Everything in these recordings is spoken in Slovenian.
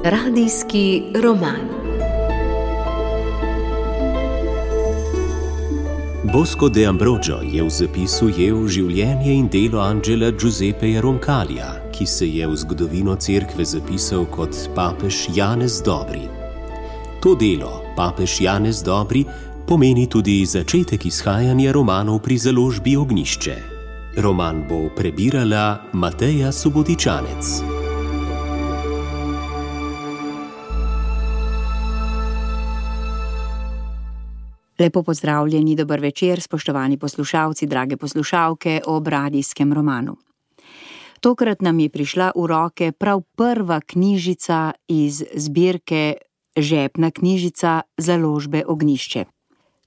Radijski roman. Bosco de Ambrogio je v zapisu ujel življenje in delo Angela Giuseppeja Roncalija, ki se je v zgodovino cerkve zapisal kot papež Janez Dobri. To delo, papež Janez Dobri, pomeni tudi začetek izhajanja romanov pri založbi Ognjišče. Roman bo prebirala Mateja Subotičanec. Lepo pozdravljeni, dober večer, spoštovani poslušalci, drage poslušalke ob radijskem romanu. Tokrat nam je prišla v roke prav prva knjižica iz zbirke Žepna knjižica založbe Ognjišče.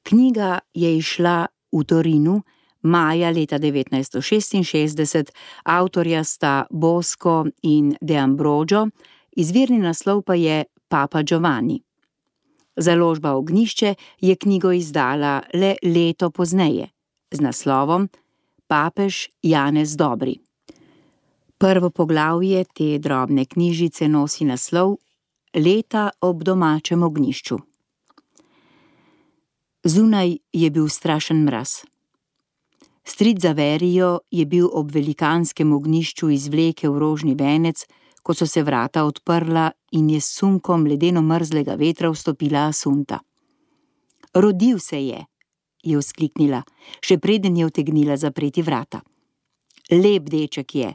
Knjiga je izšla v Torinu maja leta 1966, avtorja sta Bosco in de Ambrogio, izvirni naslov pa je Papa Giovanni. Založba Ognjišče je knjigo izdala le leto pozneje, z naslovom Papež Janez Dobri. Prvo poglavje te drobne knjižice nosi naslov Leta ob domačem ognjišču. Zunaj je bil strašen mraz. Stric Zaverijo je bil ob velikanskem ognjišču izvlekel rožni venec, ko so se vrata odprla in je s sunkom ledeno mrzlega vetra vstopila Asunta. Rodil se je vzkliknila, še preden je utegnila zapreti vrata. Lep deček je.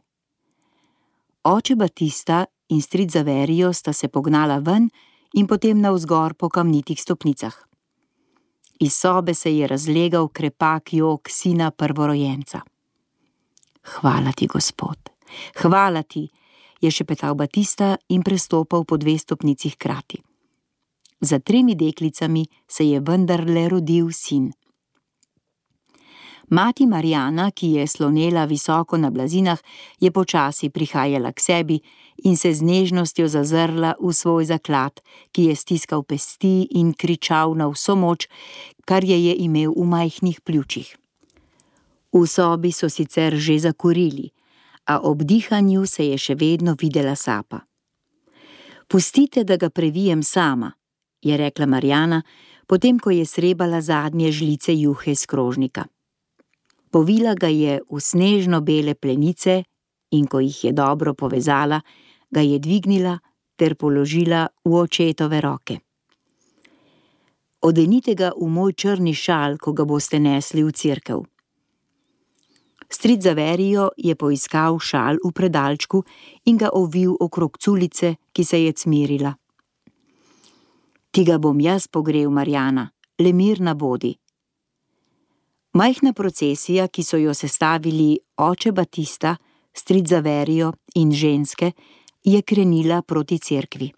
Oče Batista in stric Zaverijo sta se pognala ven in potem navzgor po kamnitih stopnicah. Iz sobe se je razlegal krepak jok sina prvorojenca. Hvala ti, Gospod, hvala ti, je šepetal Batista in prestopal po 2 stopnici hkrati. Za 3 deklicami se je vendarle rodil sin. Mati Marjana, ki je slonela visoko na blazinah, je počasi prihajala k sebi in se z nežnostjo zazrla v svoj zaklad, ki je stiskal pesti in kričal na vso moč, kar je imel v majhnih pljučih. V sobi so sicer že zakurili, a ob dihanju se je še vedno videla sapa. Pustite, da ga previjem sama, je rekla Marjana, potem ko je srebala zadnje žlice juhe iz krožnika. Povila ga je v snežno bele plenice in ko jih je dobro povezala, ga je dvignila ter položila v očetove roke. Odenite ga v moj črni šal, ko ga boste nesli v cerkev. Stric Zaverijo je poiskal šal v predalčku in ga ovil okrog culice, ki se je cmirila. Ti ga bom jaz pogrel, Marjana, le mirna bodi. Majhna procesija, ki so jo sestavili oče Batista, stric Zaverijo in ženske, je krenila proti cerkvi.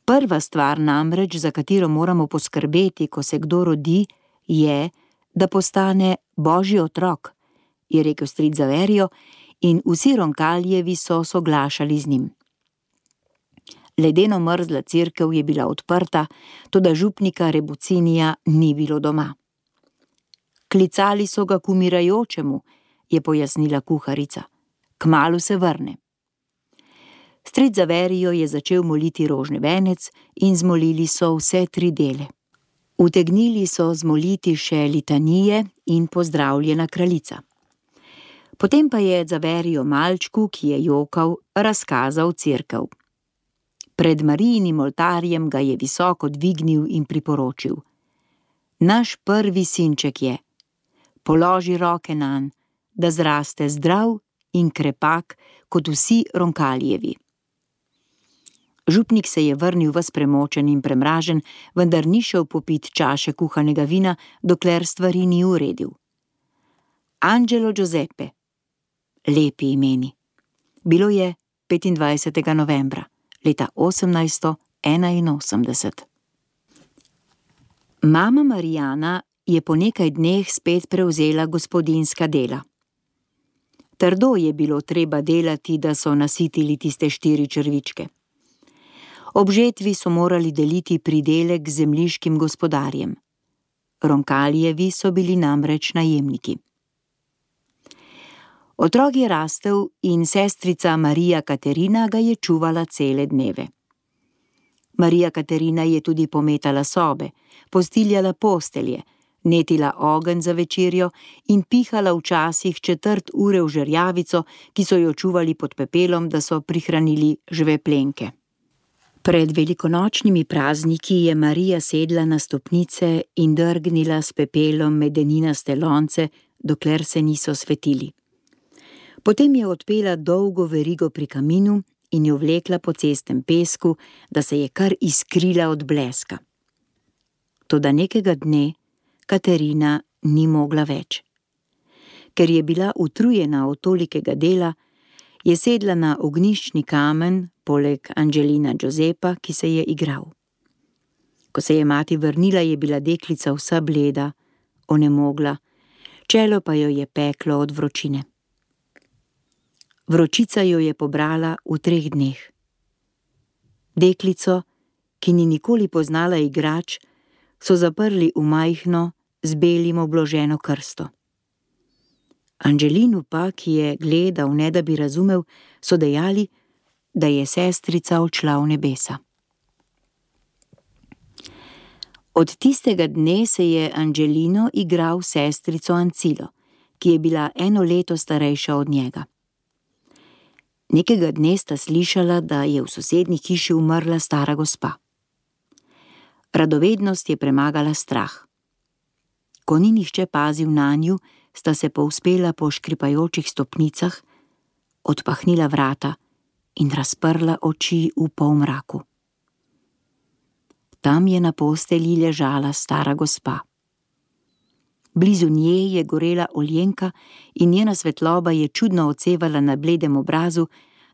Prva stvar namreč, za katero moramo poskrbeti, ko se kdo rodi, je, da postane Božji otrok, je rekel stric Zaverijo in vsi Roncaljevi so soglašali z njim. Ledeno mrzla cerkev je bila odprta, toda župnika Rebucinija ni bilo doma. Klicali so ga k umirajočemu, je pojasnila kuharica. Kmalu se vrne. Stric Zaverijo je začel moliti rožni venec in zmolili so vse 3 dele. Utegnili so zmoliti še litanije in pozdravljena kraljica. Potem pa je Zaverijo malčku, ki je jokal, razkazal cerkev. Pred Marijinim oltarjem ga je visoko dvignil in priporočil. Naš prvi sinček je. Položi roke nanj, da zraste zdrav in krepak kot vsi Roncaljevi. Župnik se je vrnil ves premočen in premražen, vendar ni šel popit čaše kuhanega vina, dokler stvari ni uredil. Angelo Giuseppe. Lepi imeni. Bilo je 25. novembra, leta 1881. Mama Marjana je po nekaj dneh spet prevzela gospodinjska dela. Trdo je bilo treba delati, da so nasitili tiste 4 črvičke. Ob žetvi so morali deliti pridelek z zemljiškim gospodarjem. Roncaljevi so bili namreč najemniki. Otrok je rastel in sestrica Marija Katerina ga je čuvala cele dneve. Marija Katerina je tudi pometala sobe, postiljala postelje, netila ogenj za večerjo in pihala včasih 1/4 ure v žerjavico, ki so jo čuvali pod pepelom, da so prihranili žveplenke. Pred velikonočnimi prazniki je Marija sedla na stopnice in drgnila s pepelom medeninaste lonce, dokler se niso svetili. Potem je odpela dolgo verigo pri kaminu in jo vlekla po cestnem pesku, da se je kar iskrila od bleska. Toda nekega dne Katerina ni mogla več. Ker je bila utrujena od tolikega dela, je sedla na ognjiščni kamen poleg Angelina Giuseppa, ki se je igral. Ko se je mati vrnila, je bila deklica vsa bleda, onemogla, čelo pa jo je peklo od vročine. Vročica jo je pobrala v 3 dneh. Deklico, ki ni nikoli poznala igrač, so zaprli v majhno, z belim obloženo krsto. Angelinu pa, ki je gledal, ne da bi razumel, so dejali, da je sestrica odšla v nebesa. Od tistega dne se je Angelino igral s sestrico Ancilo, ki je bila 1 leto starejša od njega. Nekega dne sta slišala, da je v sosednji hiši umrla stara gospa. Radovednost je premagala strah. Ko ni nihče pazil nanju, sta se povzpela po škripajočih stopnicah, odpahnila vrata in razprla oči v polmraku. Tam je na postelji ležala stara gospa. Blizu nje je gorela oljenka in njena svetloba je čudno odsevala na bledem obrazu,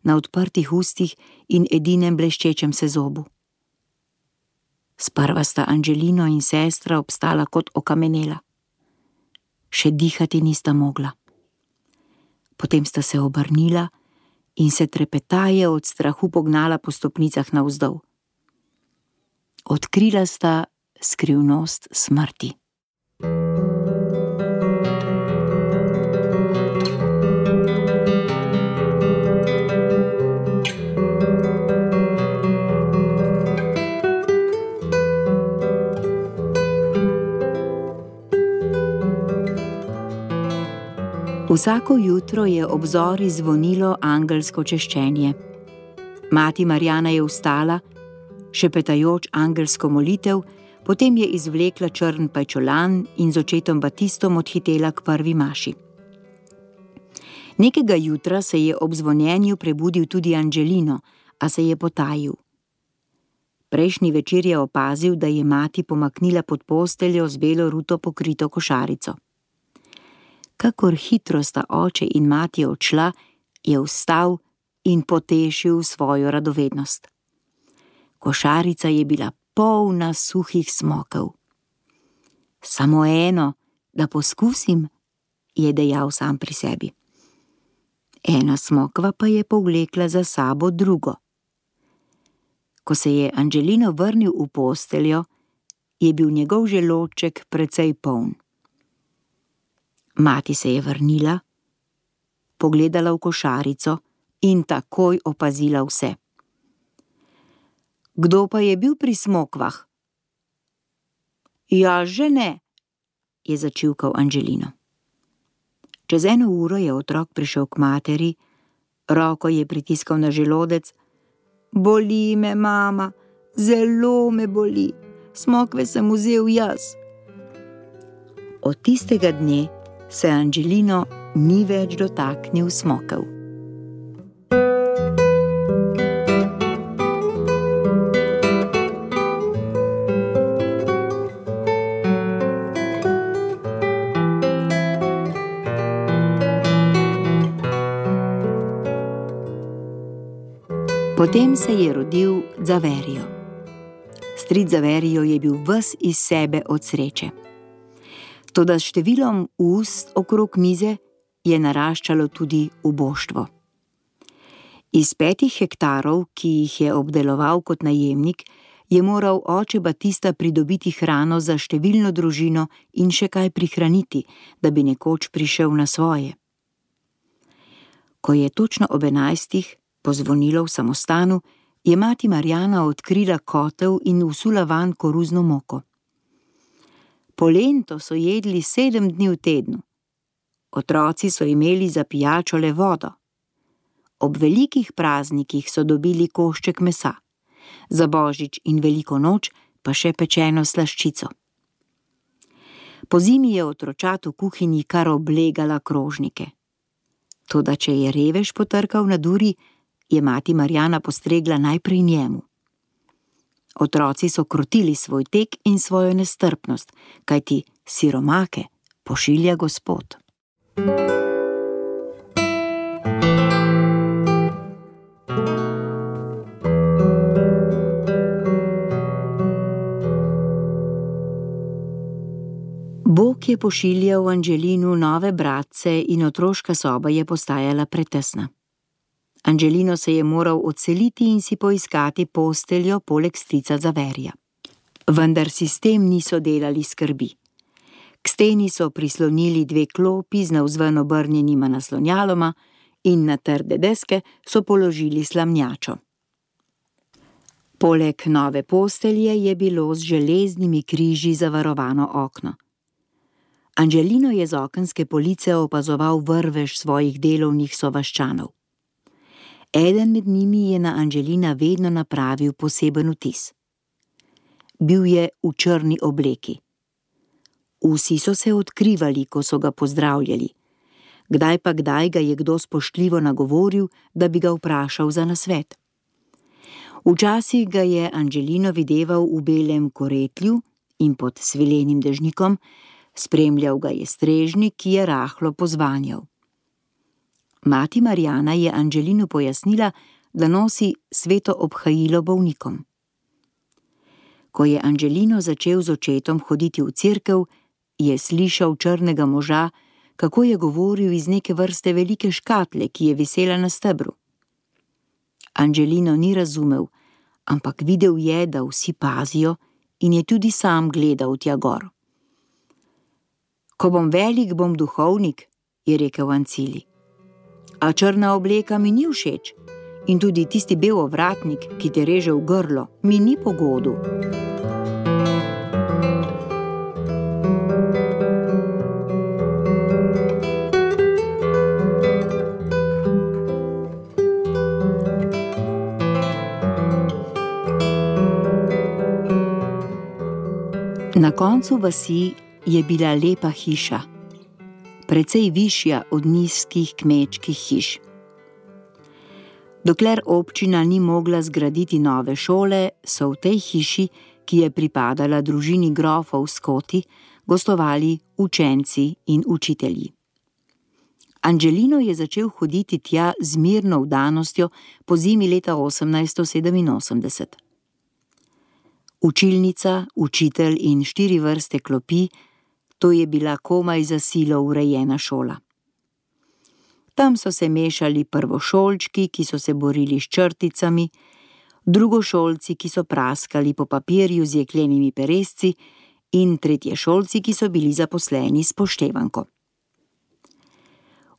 na odprtih ustih in edinem bleščečem se zobu. Sprva sta Angelino in sestra obstala kot okamenela. Še dihati nista mogla. Potem sta se obrnila in se trepetaje od strahu pognala po stopnicah navzdol. Odkrila sta skrivnost smrti. Vsako jutro je ob zori zvonilo angelsko češčenje. Mati Marjana je vstala, šepetajoč angelsko molitev, potem je izvlekla črn pajčolan in z očetom Batistom odhitela k prvi maši. Nekega jutra se je ob zvonjenju prebudil tudi Angelino, a se je potajil. Prejšnji večer je opazil, da je mati pomaknila pod posteljo z belo ruto pokrito košarico. Kakor hitro sta oče in mati odšla, je vstal in potešil svojo radovednost. Košarica je bila polna suhih smokov. Samo eno, da poskusim, je dejal sam pri sebi. Ena smokva pa je povlekla za sabo drugo. Ko se je Angelino vrnil v posteljo, je bil njegov želodček precej poln. Mati se je vrnila, pogledala v košarico in takoj opazila vse. Kdo pa je bil pri smokvah? Ja, že ne, je začivkal Angelino. Čez 1 uro je otrok prišel k materi, roko je pritiskal na želodec. Boli me, mama, zelo me boli, smokve sem vzel jaz. Od tistega dne se Angelino ni več dotaknil smokov. Potem se je rodil Zaverijo. Stric Zaverijo je bil ves iz sebe od sreče. Toda s številom ust okrog mize je naraščalo tudi uboštvo. Iz 5 hektarov, ki jih je obdeloval kot najemnik, je moral oče Batista pridobiti hrano za številno družino in še kaj prihraniti, da bi nekoč prišel na svoje. Ko je točno ob 11 pozvonilo v samostanu, je mati Marjana odkrila kotel in vsula vanj koruzno moko. Polento so jedli 7 dni v tednu. Otroci so imeli za pijačo le vodo. Ob velikih praznikih so dobili košček mesa, za božič in veliko noč pa še pečeno slaščico. Pozimi je otročat v kuhinji kar oblegala krožnike. Toda če je revež potrkal na duri, je mati Marjana postregla najprej njemu. Otroci so krotili svoj tek in svojo nestrpnost, kajti siromake pošilja Gospod. Bog je pošiljal Angelinu nove bratce in otroška soba je postajala pretesna. Angelino se je moral odseliti in si poiskati posteljo poleg strica Zaverija. Vendar si s tem niso delali skrbi. K steni so prislonili 2 klopi z navzven obrnjenima naslonjaloma in na trde deske so položili slamnjačo. Poleg nove postelje je bilo z železnimi križi zavarovano okno. Angelino je z okenske police opazoval vrvež svojih delovnih sovaščanov. Eden med njimi je na Angelina vedno napravil poseben vtis. Bil je v črni obleki. Vsi so se odkrivali, ko so ga pozdravljali. Kdaj pa kdaj ga je kdo spoštljivo nagovoril, da bi ga vprašal za nasvet. Včasih ga je Angelino videval v belem koretlju in pod svilenim dežnikom, spremljal ga je strežnik, ki je rahlo pozvanjal. Mati Marjana je Angelinu pojasnila, da nosi sveto obhajilo bolnikom. Ko je Angelino začel z očetom hoditi v cerkev, je slišal črnega moža, kako je govoril iz neke vrste velike škatle, ki je visela na stebru. Angelino ni razumel, ampak videl je, da vsi pazijo in je tudi sam gledal tja gor. Ko bom velik, bom duhovnik, je rekel Ancili. A črna obleka mi ni všeč in tudi tisti bel ovratnik, ki te reže v grlo, mi ni po godu. Na koncu vasi je bila lepa hiša, precej višja od nizkih kmečkih hiš. Dokler občina ni mogla zgraditi nove šole, so v tej hiši, ki je pripadala družini grofov Skoti, gostovali učenci in učitelji. Angelino je začel hoditi tja z mirno vdanostjo po zimi leta 1887. Učilnica, učitelj in 4 vrste klopi, to je bila komaj za silo urejena šola. Tam so se mešali prvošolčki, ki so se borili s črticami, drugošolci, ki so praskali po papirju z jeklenimi peresci, in tretješolci, ki so bili zaposleni s poštevanko.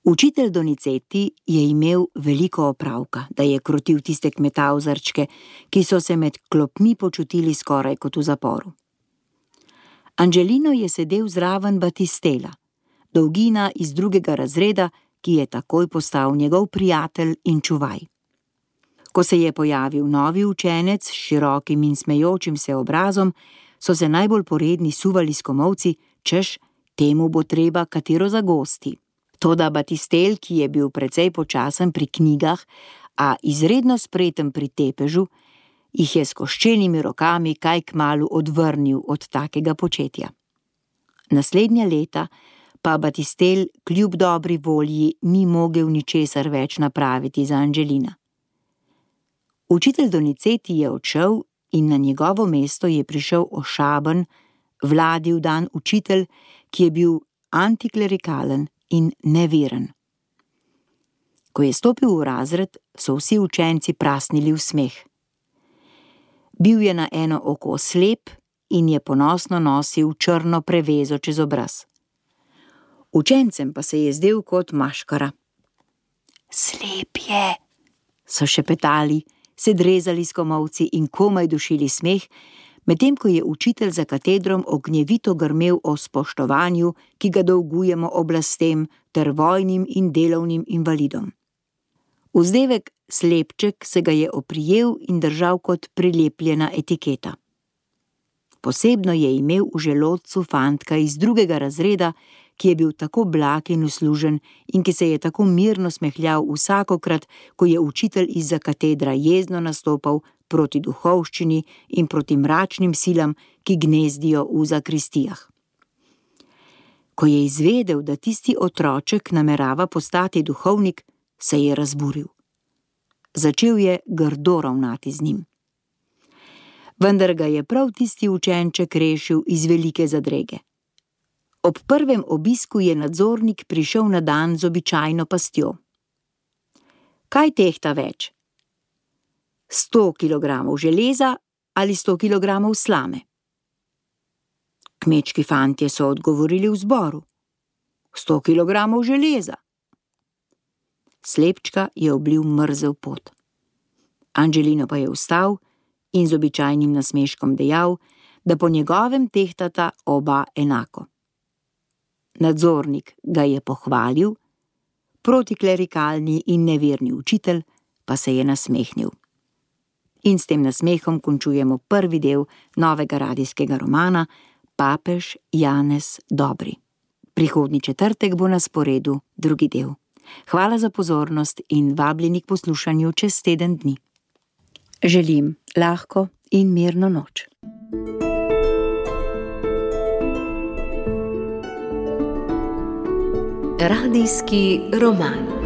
Učitelj Donizetti je imel veliko opravka, da je krotil tiste kmetavzarčke, ki so se med klopmi počutili skoraj kot v zaporu. Angelino je sedel zraven Battistela, dolgina iz 2. razreda, ki je takoj postal njegov prijatelj in čuvaj. Ko se je pojavil novi učenec s širokim in smejočim se obrazom, so se najbolj poredni suvali s komolci, češ, temu bo treba katero zagosti. Toda Battistel, ki je bil precej počasen pri knjigah, a izredno spreten pri tepežu, jih je s koščenimi rokami kaj kmalu odvrnil od takega početja. Naslednja leta pa Battistel kljub dobri volji ni mogel ničesar več napraviti za Angelina. Učitelj Donizetti je odšel in na njegovo mesto je prišel ošaben, vladil dan učitelj, ki je bil antiklerikalen in neveren. Ko je stopil v razred, so vsi učenci prasnili v smeh. Bil je na eno oko slep in je ponosno nosil črno prevezo čez obraz. Učencem pa se je zdel kot maškara. Slep je, so šepetali, se drezali s komolci in komaj dušili smeh, medtem ko je učitelj za katedrom ognjevito grmel o spoštovanju, ki ga dolgujemo oblastem ter vojnim in delovnim invalidom. Vzdevek slepček se ga je oprijel in držal kot prilepljena etiketa. Posebno je imel v želodcu fantka iz 2. razreda, ki je bil tako blag in uslužen in ki se je tako mirno smehljal vsakokrat, ko je učitelj izza katedra jezno nastopal proti duhovščini in proti mračnim silam, ki gnezdijo v zakristijah. Ko je izvedel, da tisti otroček namerava postati duhovnik, se je razburil. Začel je grdo ravnati z njim. Vendar ga je prav tisti učenček rešil iz velike zadrege. Ob prvem obisku je nadzornik prišel na dan z običajno pastjo. Kaj tehta več? 100 kilogramov železa ali 100 kilogramov slame? Kmečki fantje so odgovorili v zboru. 100 kilogramov železa. Slepčka je oblil mrzel pot. Angelino pa je vstal in z običajnim nasmeškom dejal, da po njegovem tehtata oba enako. Nadzornik ga je pohvalil, protiklerikalni in neverni učitelj pa se je nasmehnil. In s tem nasmehom končujemo prvi del novega radijskega romana Papež Janez Dobri. Prihodnji četrtek bo na sporedu drugi del. Hvala za pozornost in vabljeni k poslušanju čez teden dni. Želim lahko in mirno noč. Radijski roman.